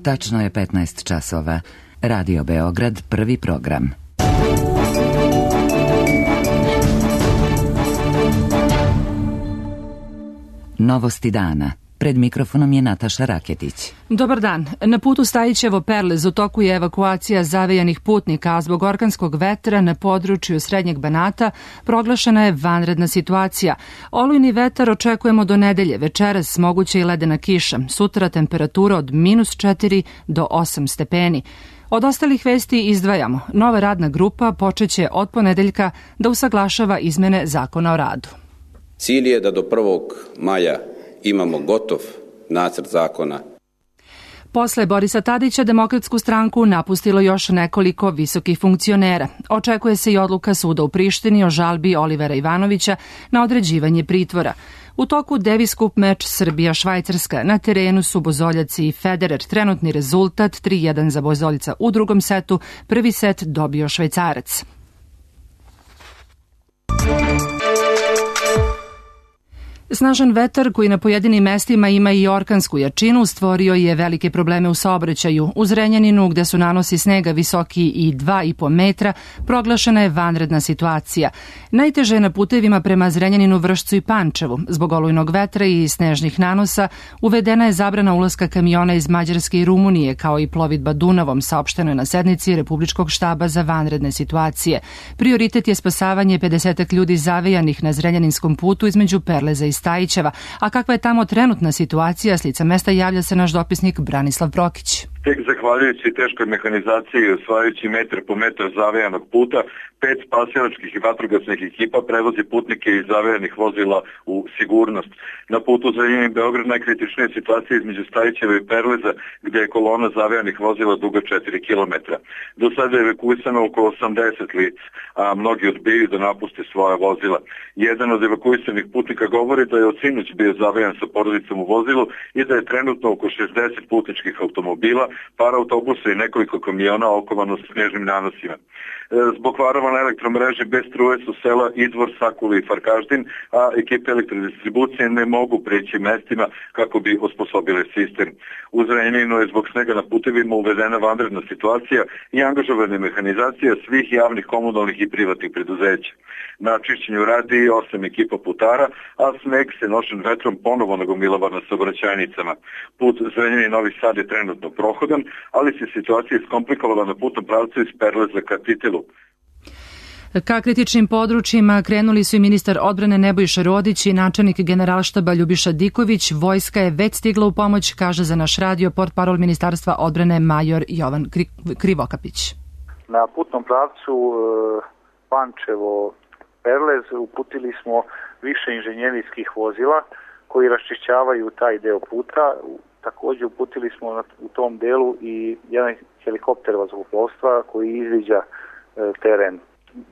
Tačno je 15 časova. Radio Beograd, prvi program. Novosti dana. Pred mikrofonom je Nataša Raketić. Dobar dan. Na putu Stajićevo-Perlez u toku je evakuacija zavejanih putnika, a zbog orkanskog vetra na području Srednjeg Banata proglašena je vanredna situacija. Olujni vetar očekujemo do nedelje, večeras moguće i ledena kiša. Sutra temperatura od -4 do 8 stepeni. Od ostalih vesti izdvajamo. Nova radna grupa počeće od ponedeljka da usaglašava izmene Zakona o radu. Cilj je da do 1. maja imamo gotov nacrt zakona. Posle Borisa Tadića Demokratsku stranku napustilo još nekoliko visokih funkcionera. Očekuje se i odluka suda u Prištini o žalbi Olivera Ivanovića na određivanje pritvora. U toku Davis Cup meč Srbija-Švajcarska. Na terenu su Bozoljac i Federer. Trenutni rezultat 3:1 za Bozoljica u drugom setu. Prvi set dobio Švajcarac. Snažan vetar koji na pojedinim mestima ima i orkansku jačinu stvorio je velike probleme u saobraćaju. U Zrenjaninu, gde su nanosi snega visoki i 2,5 metra, proglašena je vanredna situacija. Najteže je na putevima prema Zrenjaninu, Vršcu i Pančevu. Zbog olujnog vetra i snežnih nanosa uvedena je zabrana ulaska kamiona iz Mađarske i Rumunije, kao i plovidba Dunavom, saopšteno je na sednici Republičkog štaba za vanredne situacije. Prioritet je spasavanje 50 ljudi zavejanih na Zrenjaninskom putu između Perleza i Stajićeva. A kakva je tamo trenutna situacija? S lica mesta javlja se naš dopisnik Branislav Brokić. Tek zahvaljujući teškoj mehanizaciji i osvajajući metar po metar zavejanog puta, 5 spasilačkih i vatrogasnih ekipa prevozi putnike iz zavejanih vozila u sigurnost. Na putu Zrenjanin-Beograd najkritičnija je situacija između Stajićeva i Perleza, gde je kolona zavejanih vozila duga 4 km. Do sada je evakuisano oko 80 lica, a mnogi odbijaju da napuste svoja vozila. Jedan od evakuisanih putnika govori da je od sinoć bio zavejan sa porodicom u vozilu i da je trenutno oko 60 putničkih automobila, par autobusa i nekoliko kamiona okovano s snježnim nanosima. Zbog varova na elektromreži bez struje su sela Idvor, Sakuli i Farkaždin, a ekipe elektrodistribucije ne mogu preći mestima kako bi osposobile sistem. U Zrenjaninu je zbog snega na putevima uvedena vanredna situacija i angažovana mehanizacija svih javnih, komunalnih i privatnih preduzeća. Na čišćenju radi 8 ekipa putara, a sneg se nošen vetrom ponovo nagomilava na saobraćajnicama. Put Zrenjanin-Novi Sad je trenutno prohodan, ali se situacija iskomplikovala na putnom pravcu iz Perleza ka Titelu. Ka kritičnim područjima krenuli su i ministar odbrane Nebojša Rodić i načelnik Generalštaba Ljubiša Diković. Vojska je već stigla u pomoć, kaže za naš radio portparol Ministarstva odbrane major Jovan Krivokapić. Na putnom pravcu Pančevo-Perlez uputili smo više inženjerijskih vozila koji raščišćavaju taj deo puta. Također uputili smo u tom delu i jedan helikopter vazduhoplovstva koji izviđa teren.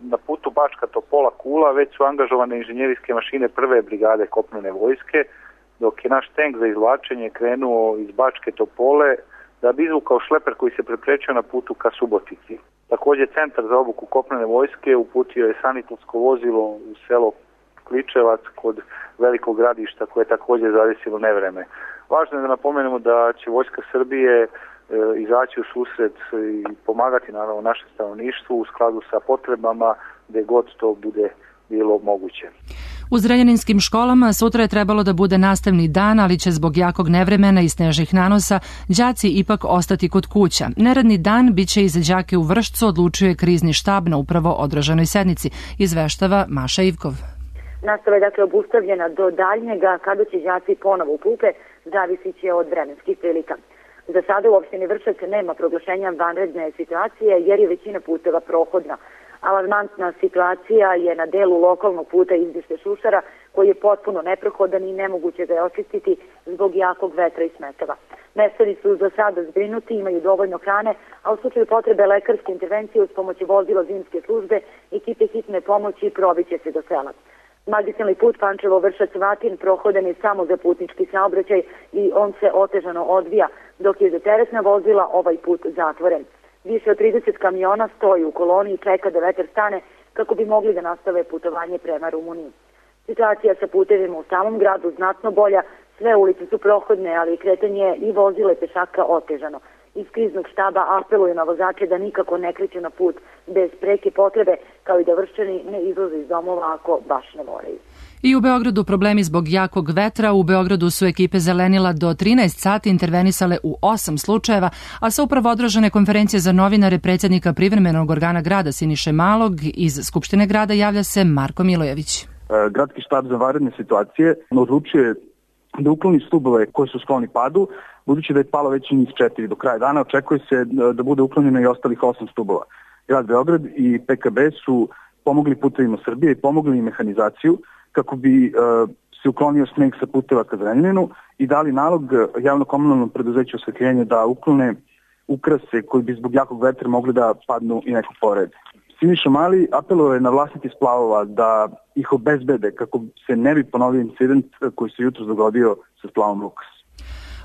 Na putu Bačka Topola Kula već su angažovane inženjerijske mašine prve brigade kopnene vojske, dok je naš tank za izvlačenje krenuo iz Bačke Topole da bi izvukao šleper koji se preprečio na putu ka Subotici. Također centar za obuku kopnene vojske uputio je sanitetsko vozilo u selo Kličevac kod velikog gradišta koje je također zadesilo nevreme. Važno je da napomenemo da će Vojska Srbije izaći u susret i pomagati naravno našem stanovništvu u skladu sa potrebama gde god to bude bilo moguće. U zrenjaninskim školama sutra je trebalo da bude nastavni dan, ali će zbog jakog nevremena i snežnih nanosa đaci ipak ostati kod kuća. Neradni dan biće i za đake u Vršcu, odlučuje krizni štab na upravo održanoj sednici, izveštava Maša Ivkov. Nastava je dakle obustavljena do daljnjega, kada će đaci ponovo u klupe, zavisit će od vremenskih prilika. Za sada u opštini Vršac nema proglašenja vanredne situacije jer je većina puteva prohodna. Alarmantna situacija je na delu lokalnog puta Izbište Šušara koji je potpuno neprohodan i nemoguće ga je očistiti zbog jakog vetra i smetova. Meštani su za sada zbrinuti, imaju dovoljno hrane, a u slučaju potrebe lekarske intervencije uz pomoć vozila zimske službe ekipe hitne pomoći probiće se do sela. Magistralni put Pančevo-Vršac-Vatin prohodan je samo za putnički saobraćaj i on se otežano odvija, dok je za teretna vozila ovaj put zatvoren. Više od 30 kamiona stoji u koloni i čeka da vetar stane kako bi mogli da nastave putovanje prema Rumuniji. Situacija sa putevima u samom gradu znatno bolja, sve ulice su prohodne, ali kretanje i vozila i pešaka otežano. iz kriznog štaba apeluju na vozače da nikako ne kreću na put bez preke potrebe, kao i da Vrščani ne izlaze iz domova ako baš ne moraju. I u Beogradu problemi zbog jakog vetra. U Beogradu su ekipe Zelenila do 13 sati intervenisale u 8 slučajeva, a sa upravo održane konferencije za novinare predsjednika privremenog organa grada Siniše Malog iz Skupštine grada javlja se Marko Milojević. Gradski štab za vanredne situacije odlučuje da ukloni stubove koji su skloni padu, budući da je palo već njih 4 do kraja dana. Očekuje se da bude uklonjeno i ostalih 8 stubova. Grad Beograd i PKB su pomogli Putevima Srbije i pomogli i mehanizaciju kako bi se uklonio sneg sa puteva ka Zrenjaninu i dali nalog javno-komunalnom preduzeću osvetljenja da uklone ukrase koji bi zbog jakog vetra mogli da padnu i neko pored. Siniša Mali apelovao je na vlasnike splavova da ih obezbede kako se ne bi ponovio incident koji se jutros dogodio sa splavom Lukas.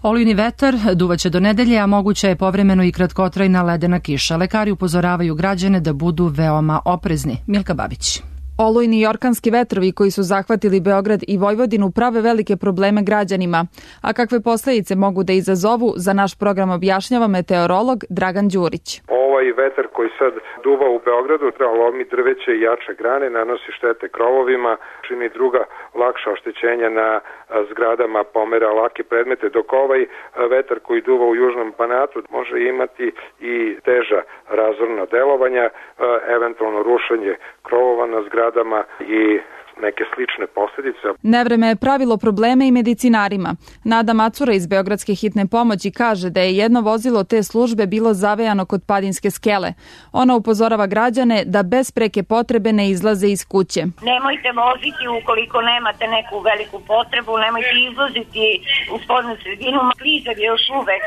Olujni vetar duvaće do nedelje, a moguća je povremeno i kratkotrajna ledena kiša. Lekari upozoravaju građane da budu veoma oprezni. Milka Babić. Olujni i orkanski vetrovi koji su zahvatili Beograd i Vojvodinu prave velike probleme građanima. A kakve posledice mogu da izazovu, za naš program objašnjava meteorolog Dragan Đurić. Ovaj vetar koji sad duva u Beogradu lomi drveće i jače grane, nanosi štete krovovima, čini druga lakša oštećenja na zgradama, pomera lake predmete, dok ovaj vetar koji duva u južnom Banatu može imati i teža razorna delovanja, eventualno rušenje krovova na zgradama i neke slične posljedice. Nevreme je pravilo probleme i medicinarima. Nada Macura iz Beogradske hitne pomoći kaže da je jedno vozilo te službe bilo zavejano kod Padinske skele. Ona upozorava građane da bez preke potrebe ne izlaze iz kuće. Nemojte voziti ukoliko nemate neku veliku potrebu, nemojte izlaziti u spodnu sredinu. Klizev je još uvek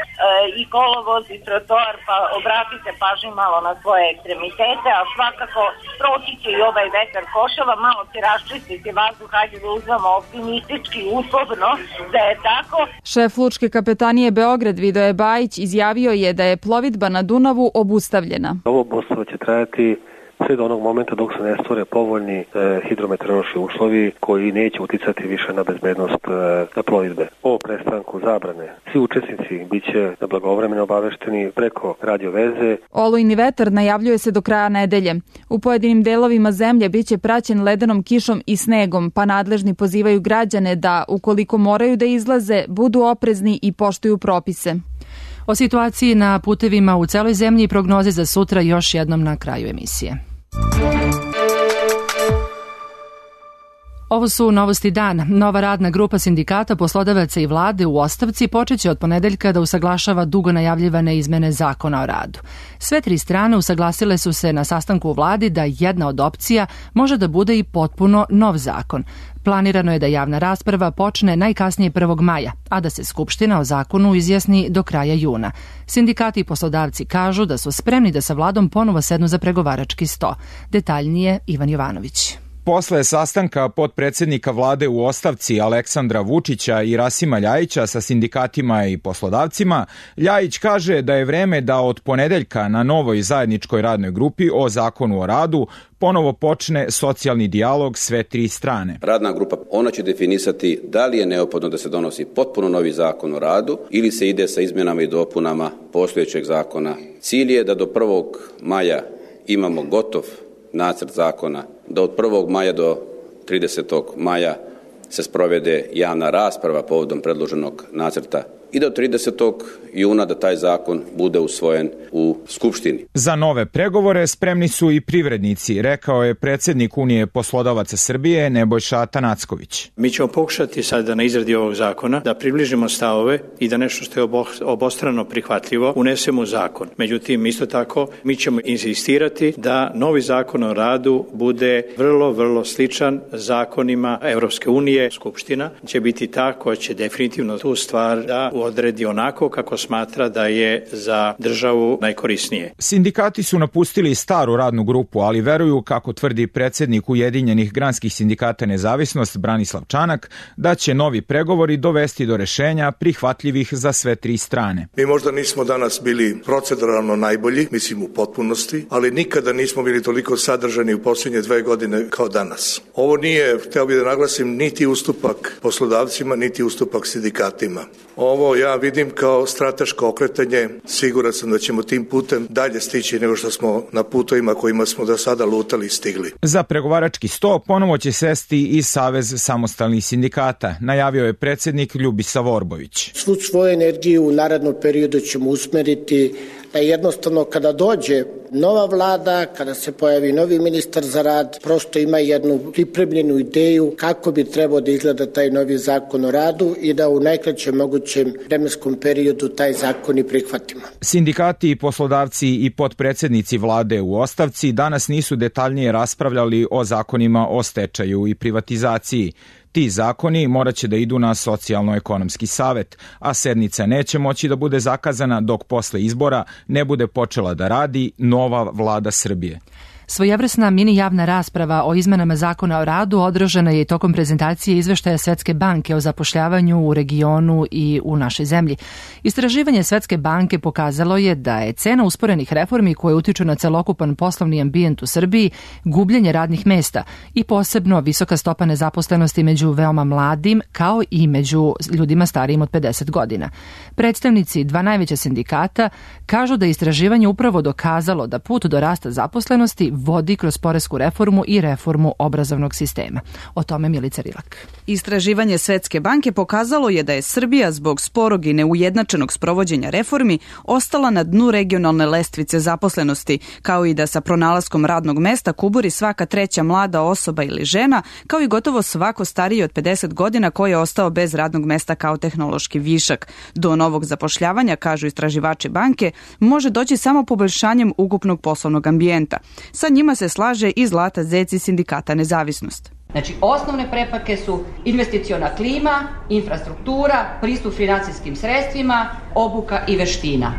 i kolovoz i trotoar, pa obratite pažnju malo na svoje ekstremitete, a svakako proći će i ovaj vetar košava, malo će raščistiti vazduh, hajde da uzmemo optimistički, uslovno da je tako. Šef Lučke kapetanije Beograd Vidoje Bajić izjavio je da je plovidba na Dunavu obustavljena. Ovo obustavljanje će trajati sve do onog momenta dok se ne stvore povoljni hidrometeorološki uslovi koji neće uticati više na bezbednost plovidbe. O prestanku zabrane svi učesnici biće blagovremeno obavešteni preko radio veze. Olujni vetar najavljuje se do kraja nedelje. U pojedinim delovima zemlje biće praćen ledenom kišom i snegom, pa nadležni pozivaju građane da, ukoliko moraju da izlaze, budu oprezni i poštuju propise. O situaciji na putevima u celoj zemlji i prognoze za sutra još jednom na kraju emisije. Ovo su novosti dana. Nova radna grupa sindikata, poslodavaca i vlade u ostavci počeće od ponedeljka da usaglašava dugo najavljivane izmene zakona o radu. Sve tri strane usaglasile su se na sastanku u vladi da jedna od opcija može da bude i potpuno nov zakon. Planirano je da javna rasprava počne najkasnije 1. maja, a da se Skupština o zakonu izjasni do kraja juna. Sindikati i poslodavci kažu da su spremni da sa vladom ponovo sednu za pregovarački sto. Detaljnije Ivan Jovanović. Posle sastanka potpredsednika vlade u ostavci Aleksandra Vučića i Rasima Ljajića sa sindikatima i poslodavcima, Ljajić kaže da je vreme da od ponedeljka na novoj zajedničkoj radnoj grupi o zakonu o radu ponovo počne socijalni dijalog sve tri strane. Radna grupa, ona će definisati da li je neophodno da se donosi potpuno novi zakon o radu ili se ide sa izmenama i dopunama postojećeg zakona. Cilj je da do 1. maja imamo gotov nacrt zakona, da od 1. maja do 30. maja se sprovede javna rasprava povodom predloženog nacrta i do 30. juna da taj zakon bude usvojen u Skupštini. Za nove pregovore spremni su i privrednici, rekao je predsjednik Unije poslodavaca Srbije Nebojša Tanacković. Mi ćemo pokušati sada na izradi ovog zakona da približimo stavove i da nešto što je obostrano prihvatljivo unesemo u zakon. Međutim, isto tako, mi ćemo insistirati da novi zakon o radu bude vrlo sličan zakonima Evropske unije. Skupština će biti ta koja će definitivno tu stvar da odredi onako kako smatra da je za državu najkorisnije. Sindikati su napustili staru radnu grupu, ali veruju, kako tvrdi predsjednik Ujedinjenih granskih sindikata Nezavisnost Branislav Čanak, da će novi pregovori dovesti do rešenja prihvatljivih za sve tri strane. Mi možda nismo danas bili proceduralno najbolji, mislim u potpunosti, ali nikada nismo bili toliko sadržani u posljednje 2 godine kao danas. Ovo nije, hteo bih da naglasim, niti ustupak poslodavcima, niti ustupak sindikatima. Ovo To ja vidim kao strateško okretanje. Siguran sam da ćemo tim putem dalje stići nego što smo na putovima kojima smo do sada lutali i stigli. Za pregovarački sto ponovo će sesti i Savez samostalnih sindikata, najavio je predsjednik Ljubisa Vorbović. Svu svoju energiju u narednom periodu ćemo usmeriti da jednostavno kada dođe nova vlada, kada se pojavi novi ministar za rad, prosto ima jednu pripremljenu ideju kako bi trebao da izgleda taj novi zakon o radu i da u najkraćem mogućem vremenskom periodu taj zakon i prihvatimo. Sindikati i poslodavci i potpredsednici vlade u ostavci danas nisu detaljnije raspravljali o zakonima o stečaju i privatizaciji. Ti zakoni morat će da idu na socijalno-ekonomski savet, a sednica neće moći da bude zakazana dok posle izbora ne bude počela da radi nova vlada Srbije. Svojevrsna mini javna rasprava o izmenama zakona o radu održana je i tokom prezentacije izveštaja Svetske banke o zapošljavanju u regionu i u našoj zemlji. Istraživanje Svetske banke pokazalo je da je cena usporenih reformi koje utiču na celokupan poslovni ambijent u Srbiji gubljenje radnih mesta i posebno visoka stopa nezaposlenosti među veoma mladim kao i među ljudima starijim od 50 godina. Predstavnici dva najveća sindikata kažu da je istraživanje upravo dokazalo da put do rasta zaposlenosti vodi kroz poresku reformu i reformu obrazovnog sistema. O tome Milica Rilak. Istraživanje Svetske banke pokazalo je da je Srbija zbog sporog i neujednačenog sprovođenja reformi ostala na dnu regionalne lestvice zaposlenosti, kao i da sa pronalaskom radnog mesta kuburi svaka treća mlada osoba ili žena, kao i gotovo svako stariji od 50 godina koji je ostao bez radnog mesta kao tehnološki višak. Do novog zapošljavanja, kažu istraživači banke, može doći samo poboljšanjem ukupnog poslovnog ambijenta. Sa njima se slaže i Zlata Zec iz Sindikata Nezavisnost. Znači, osnovne prepreke su investiciona klima, infrastruktura, pristup financijskim sredstvima, obuka i veština.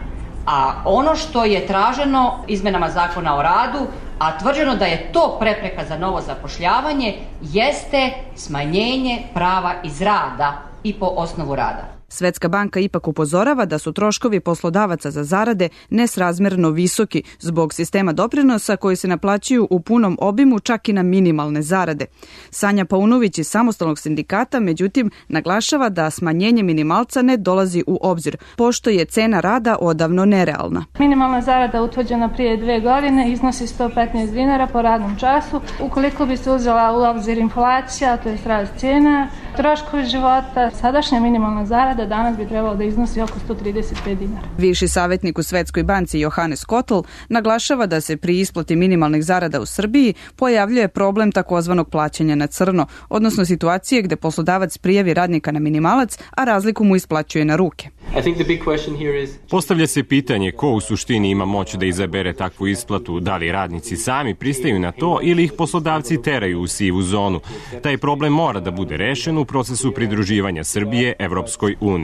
A ono što je traženo izmenama zakona o radu, a tvrđeno da je to prepreka za novo zapošljavanje, jeste smanjenje prava iz rada i po osnovu rada. Svetska banka ipak upozorava da su troškovi poslodavaca za zarade nesrazmerno visoki zbog sistema doprinosa koji se naplaćuju u punom obimu čak i na minimalne zarade. Sanja Paunović iz Samostalnog sindikata, međutim, naglašava da smanjenje minimalca ne dolazi u obzir, pošto je cena rada odavno nerealna. Minimalna zarada utvrđena prije 2 godine iznosi 115 dinara po radnom času. Ukoliko bi se uzela u obzir inflacija, to je rast cijena, troškovi života, sadašnja minimalna zarada danas bi trebalo da iznosi oko 135 dinara. Viši savjetnik u Svetskoj banci Johannes Kotl naglašava da se pri isplati minimalnih zarada u Srbiji pojavljuje problem takozvanog plaćanja na crno, odnosno situacije gde poslodavac prijavi radnika na minimalac, a razliku mu isplaćuje na ruke. Postavlja se pitanje ko u suštini ima moć da izabere takvu isplatu, da li radnici sami pristaju na to ili ih poslodavci teraju u sivu zonu. Taj problem mora da bude rešen u procesu pridruživanja Srbije Evropskoj uniji.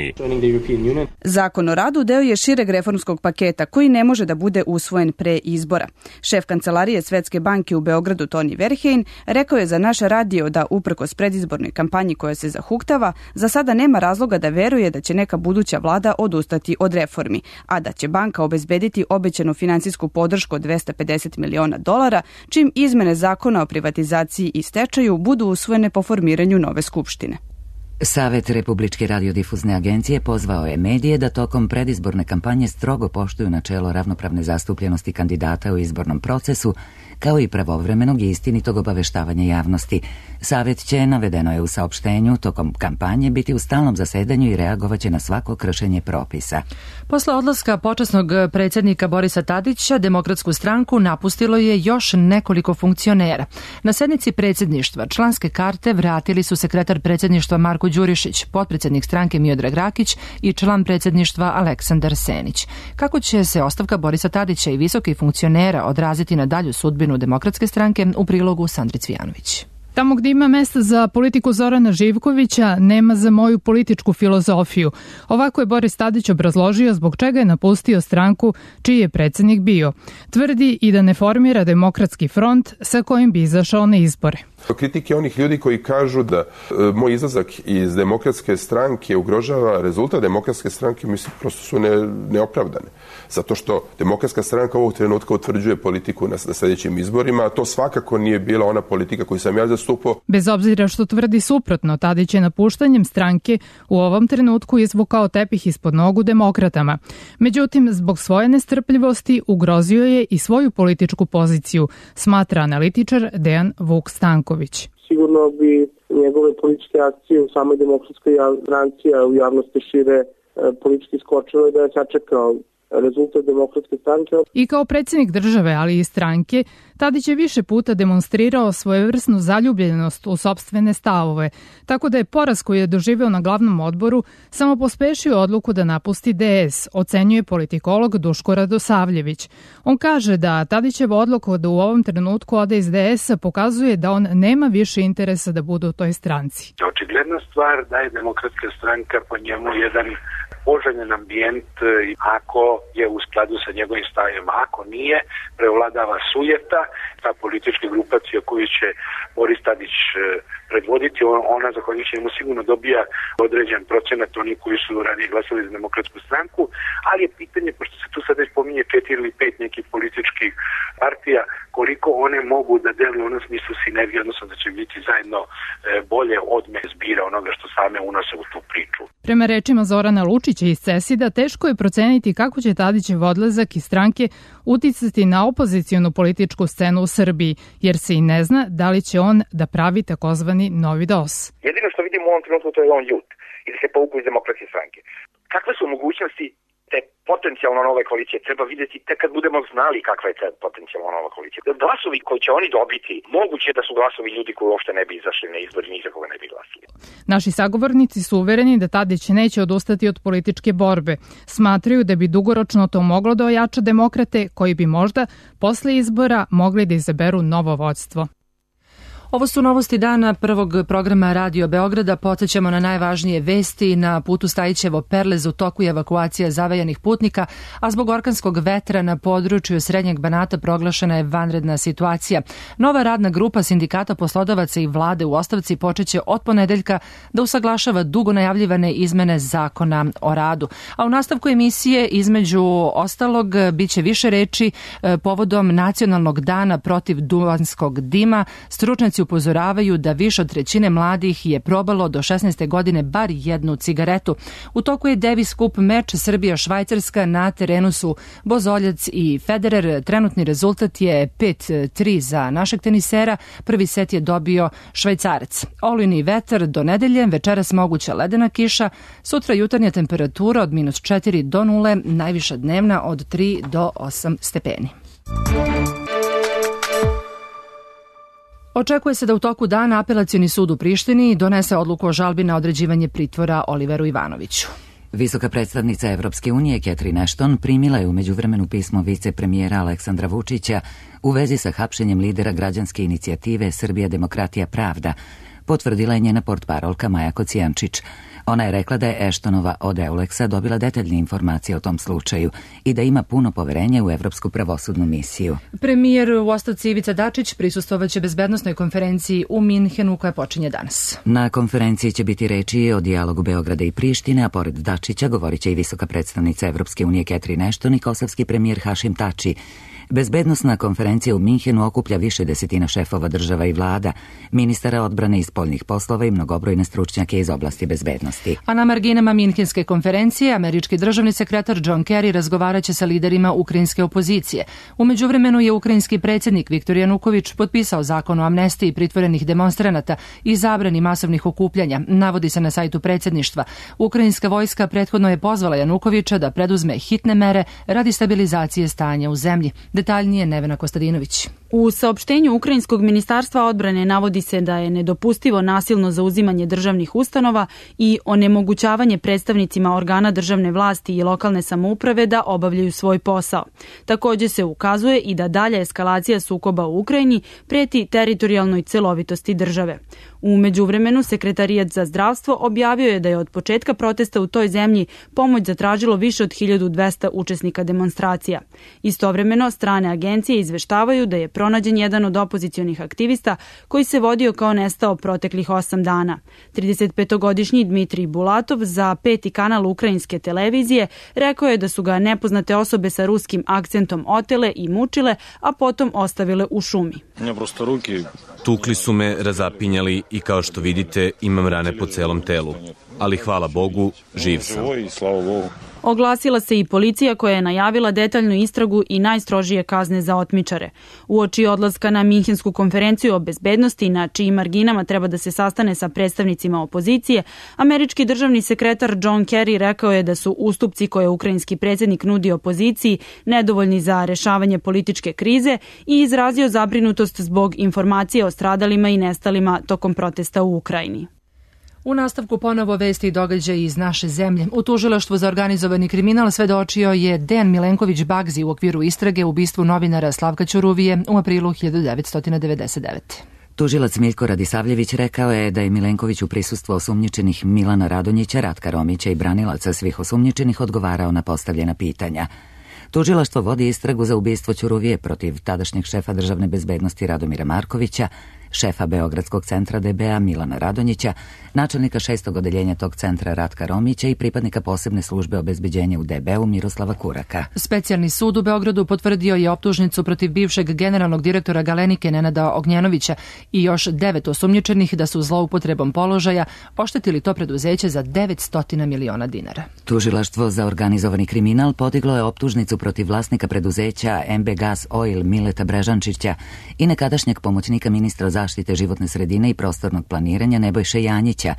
Zakon o radu deo je šireg reformskog paketa koji ne može da bude usvojen pre izbora. Šef kancelarije Svetske banke u Beogradu Toni Verheyen rekao je za naš radio da uprkos predizbornoj kampanji koja se zahuktava, za sada nema razloga da veruje da će neka buduća vlada odustati od reformi, a da će banka obezbediti obećanu finansijsku podršku od $250 miliona, čim izmene zakona o privatizaciji i stečaju budu usvojene po formiranju nove skupštine. Savet Republičke radiodifuzne agencije pozvao je medije da tokom predizborne kampanje strogo poštuju načelo ravnopravne zastupljenosti kandidata u izbornom procesu, kao i pravovremenog i istinitog obaveštavanja javnosti. Savet će, navedeno je u saopštenju, tokom kampanje biti u stalnom zasedanju i reagovaće na svako kršenje propisa. Posle odlaska počasnog predsjednika Borisa Tadića, Demokratsku stranku napustilo je još nekoliko funkcionera. Na sednici predsjedništva članske karte vratili su sekretar predsjedništva Marko Đurišić, potpredsjednik stranke Miodrag Rakić i član predsjedništva Aleksandar Senić. Kako će se ostavka Borisa Tadića i visokih funkcionera odraziti na dalju sudbinu Demokratske stranke, u prilogu Sandri Cvijanović. Tamo gdje ima mesta za politiku Zorana Živkovića, nema za moju političku filozofiju. Ovako je Boris Tadić obrazložio zbog čega je napustio stranku čiji je predsjednik bio. Tvrdi i da ne formira Demokratski front sa kojim bi izašao na izbore. Kritike onih ljudi koji kažu da moj izlazak iz Demokratske stranke ugrožava rezultat Demokratske stranke, mislim, prosto su neopravdane. Zato što Demokratska stranka ovog trenutka utvrđuje politiku na sljedećim izborima, a to svakako nije bila ona politika koju sam ja zastupao. Bez obzira što tvrdi suprotno, Tadić je napuštanjem stranke u ovom trenutku izvukao tepih ispod nogu demokratama. Međutim, zbog svoje nestrpljivosti ugrozio je i svoju političku poziciju, smatra analitičar Dejan Vuk Stanković. Sigurno bi njegove političke akcije u samoj demokratskoj stranci, a u javnosti šire politički skočilo da je sačekao rezultat demokratske stranke. I kao predsjednik države, ali i stranke, Tadić je više puta demonstrirao svojevrsnu zaljubljenost u sopstvene stavove, tako da je poraz koji je doživeo na glavnom odboru samo pospešio odluku da napusti DS, ocenjuje politikolog Duško Radosavljević. On kaže da Tadićeva odluka da u ovom trenutku ode iz DS-a pokazuje da on nema više interesa da bude u toj stranci. Očigledna stvar da je demokratska stranka po njemu jedan poželjen ambijent ako je u skladu sa njegovim stavima. Ako nije, prevladava sujeta, ta politička grupacija koju će Boris Tadić predvoditi, ona zahvaljujući njemu sigurno dobija određen procenat onih koji su ranije glasali za demokratsku stranku, ali je pitanje, pošto se tu sad već pominje 4 ili 5 nekih političkih partija, koliko one mogu da deluju u onom smislu sinergije, odnosno da će biti zajedno bolje odme zbira onoga što same unose u tu priču. Prema rečima Zorana Lučića iz CESID-a, teško je proceniti kako će Tadićev odlazak iz stranke uticati na opozicionu političku scenu u Srbiji, jer se i ne zna da li će on da pravi takozvani novi DOS. Jedino što vidimo u ovom trenutku to je on ljut i da se povuku iz demokratske stranke. Kakve su mogućnosti te potencijalno nove koalicije? Treba vidjeti tek kad budemo znali kakva je ta potencijalno nova koalicija. Glasovi koji će oni dobiti, moguće da su glasovi ljudi koji uopšte ne bi izašli na izbor i ni za koga ne bi glasili. Naši sagovornici su uvereni da Tadić neće odustati od političke borbe. Smatraju da bi dugoročno to moglo da ojača demokrate koji bi možda posle izbora mogli da izaberu novo vodstvo. Ovo su novosti dana prvog programa Radio Beograda. Podsećamo na najvažnije vesti. Na putu Stajićevo Perlez u toku je evakuacija zavejanih putnika, a zbog orkanskog vetra na području Srednjeg Banata proglašena je vanredna situacija. Nova radna grupa sindikata poslodavaca i vlade u ostavci počeće od ponedeljka da usaglašava dugo najavljivane izmene zakona o radu. A u nastavku emisije između ostalog biće više reči povodom Nacionalnog dana protiv duvanskog dima. Stručnjaci upozoravaju da više od trećine mladih je probalo do 16. godine bar jednu cigaretu. U toku je Davis Cup meč Srbija-Švajcarska, na terenu su Bozoljac i Federer. Trenutni rezultat je 5-3 za našeg tenisera. Prvi set je dobio Švajcarac. Olujni vetar do nedelje, večeras moguća ledena kiša, sutra jutarnja temperatura od -4 do 0, najviša dnevna od 3 do 8 stepeni. Očekuje se da u toku dana Apelacioni sud u Prištini donese odluku o žalbi na određivanje pritvora Oliveru Ivanoviću. Visoka predstavnica Evropske unije Catherine Ashton primila je u međuvremenu pismo vicepremijera Aleksandra Vučića u vezi sa hapšenjem lidera građanske inicijative Srbija demokratija pravda, potvrdila je njena portparolka Maja Kocijančić. Ona je rekla da je Ashtonova od Euleksa dobila detaljne informacije o tom slučaju i da ima puno poverenja u Evropsku pravosudnu misiju. Premijer u ostavci Ivica Dačić prisustvovaće bezbednosnoj konferenciji u Minhenu koja počinje danas. Na konferenciji će biti reči o dijalogu Beograda i Prištine, a pored Dačića govorit će i visoka predstavnica Evropske unije Catherine Ashton i kosovski premijer Hašim Tači. Bezbednosna konferencija u Minhenu okuplja više desetina šefova država i vlada, ministara odbrane i spoljnih poslova i mnogobrojne stručnjake iz oblasti bezbednosti. A na marginama Minhenske konferencije američki državni sekretar John Kerry razgovaraće sa liderima ukrajinske opozicije. U međuvremenu je ukrajinski predsjednik Viktor Januković potpisao zakon o amnestiji pritvorenih demonstranata i zabrani masovnih okupljanja, navodi se na sajtu predsjedništva. Ukrajinska vojska prethodno je pozvala Janukovića da preduzme hitne mere radi stabilizacije stanja u zemlji. Detaljnije Nevena Kostadinović. U saopštenju Ukrajinskog ministarstva odbrane navodi se da je nedopustivo nasilno zauzimanje državnih ustanova i onemogućavanje predstavnicima organa državne vlasti i lokalne samouprave da obavljaju svoj posao. Također se ukazuje i da dalja eskalacija sukoba u Ukrajini preti teritorijalnoj celovitosti države. U međuvremenu Sekretarijat za zdravstvo objavio je da je od početka protesta u toj zemlji pomoć zatražilo više od 1200 učesnika demonstracija. Istovremeno, strane agencije izveštavaju da je pronađen jedan od opozicionih aktivista koji se vodio kao nestao proteklih 8 dana. 35-godišnji Dmitrij Bulatov za 5. kanal ukrajinske televizije rekao je da su ga nepoznate osobe sa ruskim akcentom otele i mučile, a potom ostavile u šumi. Tukli su me, razapinjali i kao što vidite imam rane po celom telu. Ali hvala Bogu, živ sam. Oglasila se i policija koja je najavila detaljnu istragu i najstrožije kazne za otmičare. Uoči odlaska na Minhensku konferenciju o bezbednosti, na čijim marginama treba da se sastane sa predstavnicima opozicije, američki državni sekretar John Kerry rekao je da su ustupci koje ukrajinski predsjednik nudi opoziciji nedovoljni za rešavanje političke krize i izrazio zabrinutost zbog informacije o stradalima i nestalima tokom protesta u Ukrajini. U nastavku ponovo vesti i događaji iz naše zemlje. U tužilaštvu za organizovani kriminal svedočio je Dejan Milenković Bagzi u okviru istrage ubistvu novinara Slavka Ćuruvije u aprilu 1999. Tužilac Miljko Radisavljević rekao je da je Milenković u prisustvu osumnjičenih Milana Radonjića, Ratka Romića i branilaca svih osumnjičenih odgovarao na postavljena pitanja. Tužilaštvo vodi istragu za ubistvo Ćuruvije protiv tadašnjeg šefa državne bezbednosti Radomira Markovića, šefa Beogradskog centra DBA Milana Radonjića, načelnika 6. odeljenja tog centra Ratka Romića i pripadnika posebne službe obezbeđenja u DB-u Miroslava Kuraka. Specijalni sud u Beogradu potvrdio je optužnicu protiv bivšeg generalnog direktora Galenike Nenada Ognjanovića i još 9 osumnjičenih da su zloupotrebom položaja oštetili to preduzeće za 900 miliona dinara. Tužilaštvo za organizovani kriminal podiglo je optužnicu protiv vlasnika preduzeća MB Gas Oil Mileta Brežančića i nekadašnjeg pomoćnika ministra zaštite životne sredine i prostornog planiranja Nebojše Janjića.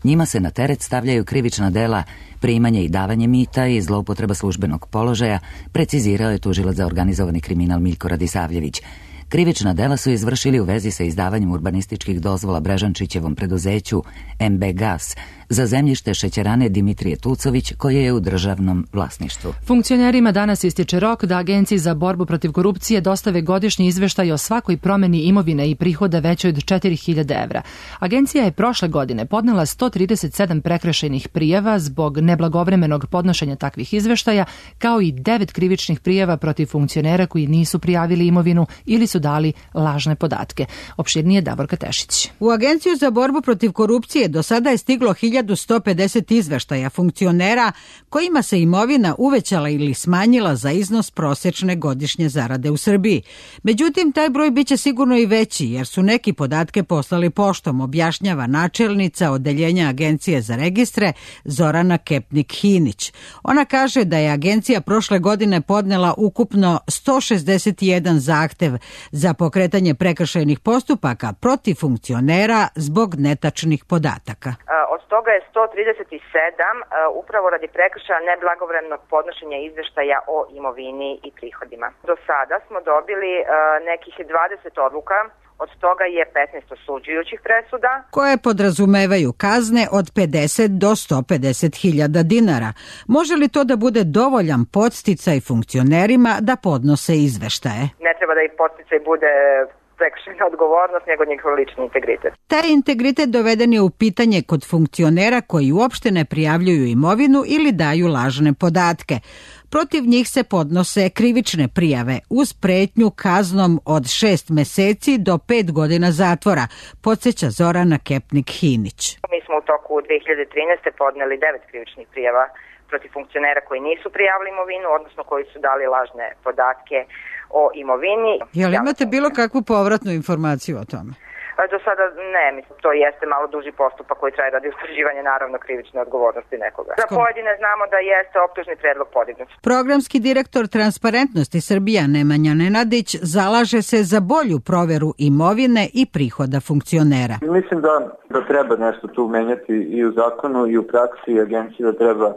Njima se na teret stavljaju krivična dela primanje i davanje mita i zloupotreba službenog položaja, precizirao je tužilac za organizovani kriminal Miljko Radisavljević. Krivična dela su izvršili u vezi sa izdavanjem urbanističkih dozvola Brežančićevom preduzeću MB Gas za zemljište šećerane Dimitrije Tucović koje je u državnom vlasništvu. Funkcionerima danas ističe rok da Agenciji za borbu protiv korupcije dostave godišnji izveštaj o svakoj promeni imovine i prihoda većoj od 4.000 evra. Agencija je prošle godine podnela 137 prekršajnih prijava zbog neblagovremenog podnošenja takvih izveštaja, kao i 9 krivičnih prijava protiv funkcionera koji nisu prijavili imovinu ili su dali lažne podatke. Opširnije Davorka Tešić. U Agenciju za borbu protiv korupcije do sada je stiglo 1150 izveštaja funkcionera kojima se imovina uvećala ili smanjila za iznos prosečne godišnje zarade u Srbiji. Međutim, taj broj biće sigurno i veći jer su neki podatke poslali poštom, objašnjava načelnica odeljenja Agencije za registre Zorana Kepnik-Hinić. Ona kaže da je agencija prošle godine podnela ukupno 161 zahtev za pokretanje prekršajnih postupaka protiv funkcionera zbog netačnih podataka. Od toga je 137 upravo radi prekršaja neblagovremenog podnošenja izveštaja o imovini i prihodima. Do sada smo dobili nekih 20 odluka, od toga je 15 osuđujućih presuda koje podrazumevaju kazne od 50 do 150.000 dinara. Može li to da bude dovoljan podsticaj funkcionerima da podnose izveštaje? Ne treba da i podsticaj bude prekršajna odgovornost, nego njihov lični integritet. Taj integritet doveden je u pitanje kod funkcionera koji uopšte ne prijavljuju imovinu ili daju lažne podatke. Protiv njih se podnose krivične prijave uz pretnju kaznom od 6 meseci do 5 godina zatvora, podsjeća Zorana Kepnik-Hinić. Mi smo u toku 2013. podneli 9 krivičnih prijava protiv funkcionera koji nisu prijavili imovinu, odnosno koji su dali lažne podatke o imovini. Jel imate bilo kakvu povratnu informaciju o tome? Do sada ne, mislim, to jeste malo duži postupak koji traje radi utvrđivanja naravno krivične odgovornosti nekoga. Za pojedine znamo da jeste optužni predlog podignut. Programski direktor Transparentnosti Srbija Nemanja Nenadić zalaže se za bolju proveru imovine i prihoda funkcionera. Mislim da treba nešto tu menjati i u zakonu i u praksi i agencija treba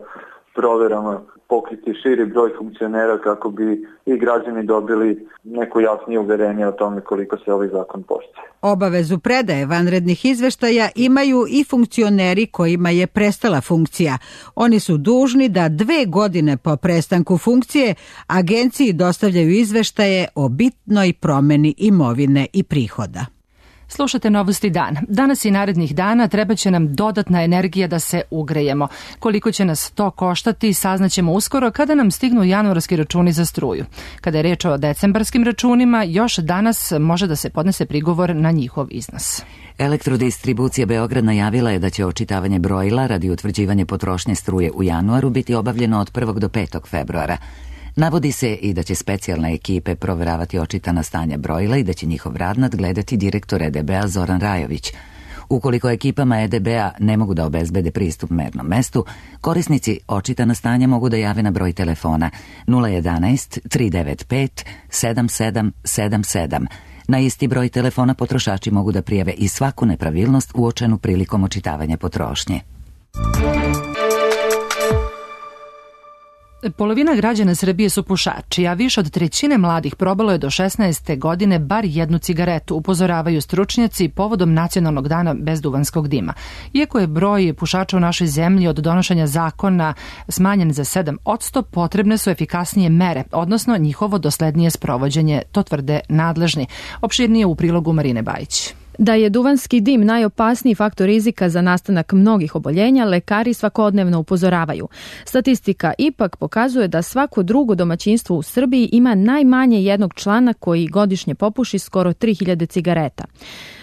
proverama pokriti širi broj funkcionera kako bi i građani dobili neko jasnije uverenje o tome koliko se ovaj zakon poštuje. Obavezu predaje vanrednih izveštaja imaju i funkcioneri kojima je prestala funkcija. Oni su dužni da 2 godine po prestanku funkcije agenciji dostavljaju izveštaje o bitnoj promeni imovine i prihoda. Slušate Novosti dan. Danas i narednih dana treba će nam dodatna energija da se ugrejemo. Koliko će nas to koštati saznaćemo uskoro kada nam stignu januarski računi za struju. Kada je reč o decembarskim računima, još danas može da se podnese prigovor na njihov iznos. Elektrodistribucija Beograd najavila je da će očitavanje brojila radi utvrđivanja potrošnje struje u januaru biti obavljeno od 1. do 5. februara. Navodi se i da će specijalne ekipe proveravati očitana stanja brojila i da će njihov rad nadgledati direktor EDB-a Zoran Rajović. Ukoliko ekipama EDB-a ne mogu da obezbede pristup mernom mestu, korisnici očitana stanja mogu da jave na broj telefona 011 395 7777. Na isti broj telefona potrošači mogu da prijave i svaku nepravilnost uočenu prilikom očitavanja potrošnje. Polovina građana Srbije su pušači, a više od trećine mladih probalo je do 16. godine bar jednu cigaretu, upozoravaju stručnjaci povodom Nacionalnog dana bez duvanskog dima. Iako je broj pušača u našoj zemlji od donošenja zakona smanjen za 7%, potrebne su efikasnije mere, odnosno njihovo doslednije sprovođenje, to tvrde nadležni. Opširnije u prilogu Marine Bajić. Da je duvanski dim najopasniji faktor rizika za nastanak mnogih oboljenja, lekari svakodnevno upozoravaju. Statistika ipak pokazuje da svako drugo domaćinstvo u Srbiji ima najmanje jednog člana koji godišnje popuši skoro 3000 cigareta.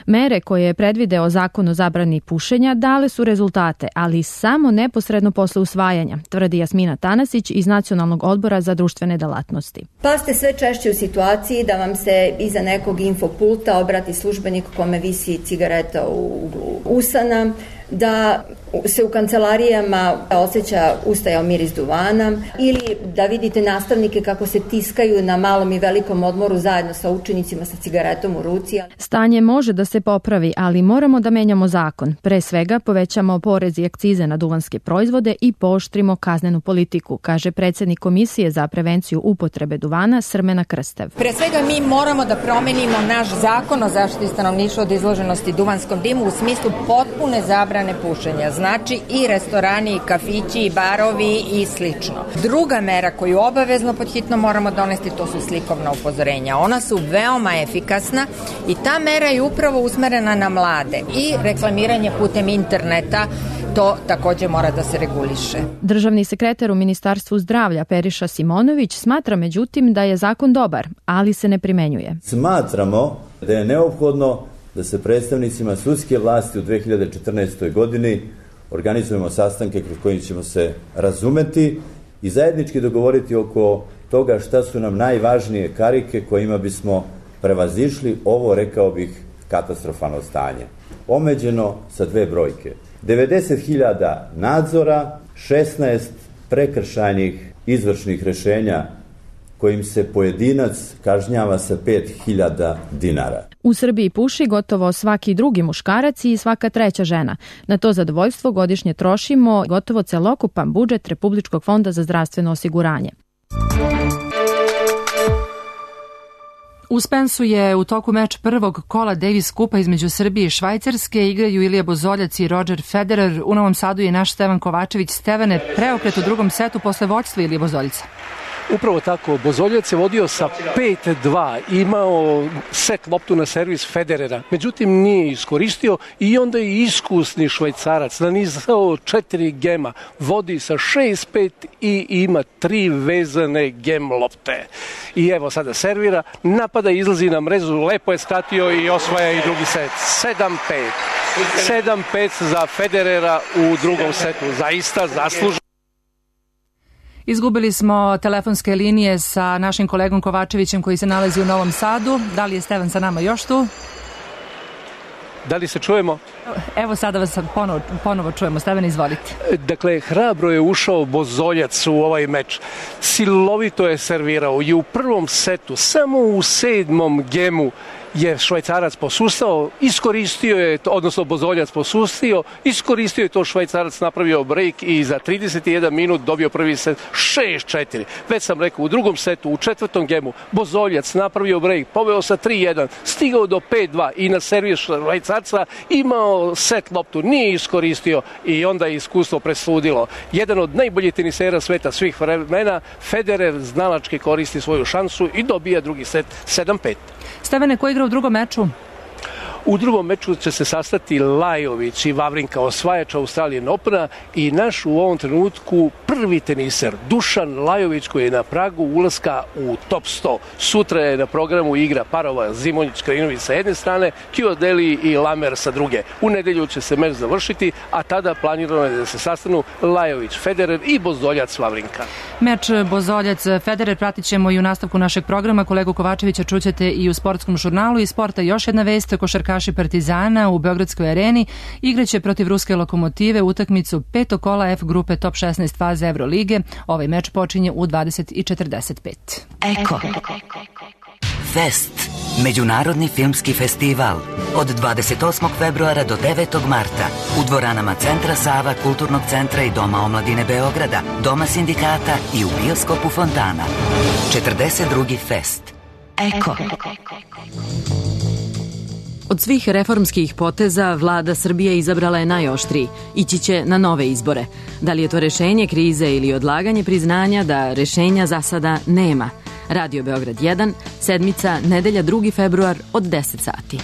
Mere koje je predvideo zakon o zabrani pušenja dale su rezultate, ali samo neposredno posle usvajanja, tvrdi Jasmina Tanasić iz Nacionalnog odbora za društvene delatnosti. Pa ste sve češće u situaciji da vam se iza nekog infopulta obrati službenik kome visi cigareta u uglu usana, da se u kancelarijama osjeća ustajao miris duvana ili da vidite nastavnike kako se tiskaju na malom i velikom odmoru zajedno sa učenicima sa cigaretom u ruci. Stanje može da se popravi, ali moramo da menjamo zakon. Pre svega povećamo porez i akcize na duvanske proizvode i pooštrimo kaznenu politiku, kaže predsjednik Komisije za prevenciju upotrebe duvana Srmena Krstev. Pre svega mi moramo da promenimo naš zakon o zaštiti stanovništva od izloženosti duvanskom dimu u smislu potpune zabrane pušenja. Znači i restorani, i kafići, i barovi i slično. Druga mera koju obavezno pod hitno moramo donesti, to su slikovna upozorenja. Ona su veoma efikasna i ta mera je upravo usmerena na mlade i reklamiranje putem interneta, to takođe mora da se reguliše. Državni sekretar u Ministarstvu zdravlja Periša Simonović smatra međutim da je zakon dobar, ali se ne primenjuje. Smatramo da je neophodno da se predstavnicima sudske vlasti u 2014. godini organizujemo sastanke kroz koje ćemo se razumeti i zajednički dogovoriti oko toga šta su nam najvažnije karike kojima bismo prevazišli ovo, rekao bih, katastrofalno stanje. Omeđeno sa 2 brojke. 90.000 nadzora, 16 prekršajnih izvršnih rešenja kojim se pojedinac kažnjava sa 5.000 dinara. U Srbiji puši gotovo svaki drugi muškarac i svaka treća žena. Na to zadovoljstvo godišnje trošimo gotovo celokupan budžet Republičkog fonda za zdravstveno osiguranje. U Spensu je u toku meč prvog kola Davis Kupa između Srbije i Švajcarske. Igraju Ilija Bozoljac i Roger Federer. U Novom Sadu je naš Stevan Kovačević. Stevane, preokret u drugom setu posle vođstva Ilije Bozoljaca. Upravo tako, Bozoljac je vodio sa 5-2, imao set loptu na servis Federera, međutim nije iskoristio i onda je iskusni Švajcarac nanizao 4 gema, vodi sa 6-5 i ima 3 vezane gem lopte. I evo sada servira, napada, izlazi na mrežu, lepo je skratio i osvaja i drugi set, 7-5. 7-5 za Federera u drugom setu, zaista zasluženo. Izgubili smo telefonske linije sa našim kolegom Kovačevićem koji se nalazi u Novom Sadu. Da li je Stevan sa nama još tu? Da li se čujemo? Evo sada vas ponovo čujemo. Stevan, izvolite. Dakle, hrabro je ušao Bozoljac u ovaj meč. Silovito je servirao i u prvom setu, samo u 7. gemu je Švajcarac posustao, iskoristio je, odnosno Bozoljac posustio, iskoristio je to Švajcarac, napravio break i za 31 minut dobio prvi set 6-4. Već sam rekao, u drugom setu, u 4. gemu, Bozoljac napravio break, poveo sa 3-1, stigao do 5-2 i na servis Švajcarca imao set loptu, nije iskoristio i onda je iskustvo presudilo. Jedan od najboljih tenisera sveta svih vremena, Federer znalački koristi svoju šansu i dobija drugi set 7-5. Stevane, ko igra u drugom meču? U drugom meču će se sastati Lajović i Vavrinka, osvajač Australian Opena, i naš u ovom trenutku prvi teniser Dušan Lajović, koji je na pragu ulaska u top 100. Sutra je na programu igra parova Zimonjić Krajinović sa jedne strane, Chiodeli i Lamer sa druge. U nedelju će se meč završiti, a tada planirano je da se sastanu Lajović Federer i Bozoljac Vavrinka. Meč Bozoljac Federer pratit ćemo i u nastavku našeg programa. Kolegu Kovačevića čućete i u sportskom žurnalu. Iz sporta još jedna vest: košarkaši Partizana u Beogradskoj areni igraće protiv ruske Lokomotive utakmicu petog kola F grupe top 16 faze Evrolige. Ovaj meč počinje u 20:45. Eko. Fest. Međunarodni filmski festival. Od 28. februara do 9. marta u dvoranama Centra Sava, Kulturnog centra i Doma omladine Beograda, Doma sindikata i u bioskopu Fontana. 42. fest. Eko. Od svih reformskih poteza vlada Srbije izabrala je najoštriji. Ići će na nove izbore. Da li je to rešenje krize ili odlaganje priznanja da rešenja za sada nema? Radio Beograd 1, sedmica, nedelja 2. februar od 10 sati.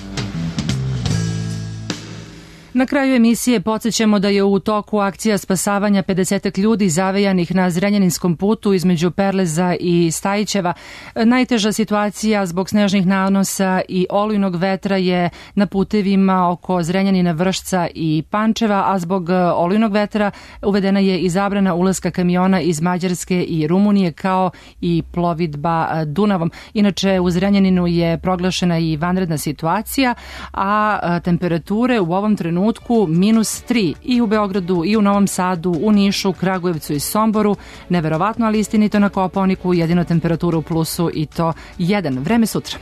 Na kraju emisije podsjećamo da je u toku akcija spasavanja 50 ljudi zavejanih na Zrenjaninskom putu između Perleza i Stajićeva. Najteža situacija zbog snežnih nanosa i olujnog vetra je na putevima oko Zrenjanina, Vršca i Pančeva, a zbog olujnog vetra uvedena je i zabrana ulaska kamiona iz Mađarske i Rumunije, kao i plovidba Dunavom. Inače, u Zrenjaninu je proglašena i vanredna situacija, a temperature u ovom trenutku -3 i u Beogradu i u Novom Sadu, u Nišu, Kragujevcu i Somboru. Neverovatno, ali istinito na Kopaoniku, jedino temperatura u plusu i to 1. Vreme sutra.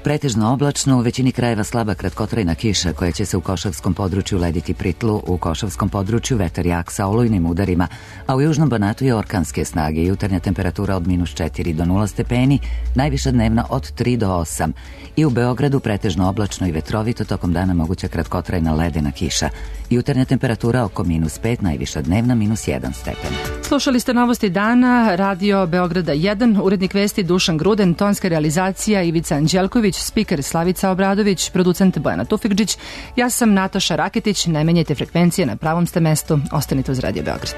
Pretežno oblačno, u većini krajeva slaba kratkotrajna kiša koja će se u Košavskom području lediti pri tlu, u Košavskom području vetar jak sa olujnim udarima, a u Južnom Banatu je orkanske snage. Jutarnja temperatura od -4 do 0 stepeni, najviša dnevna od 3 do 8. I u Beogradu pretežno oblačno i vetrovito, tokom dana moguća kratkotrajna ledena kiša. Jutarnja temperatura oko -5, najviša dnevna -1 stepen. Slušali ste novosti dana, Radio Beograda 1, urednik vesti Dušan Gruden, tonska realizacija Ivica Anđelković, spiker Slavica Obradović, producent Bojana Tufikđić. Ja sam Nataša Raketić. Ne menjajte frekvencije, na pravom ste mestu. Ostanite uz Radio Beograd.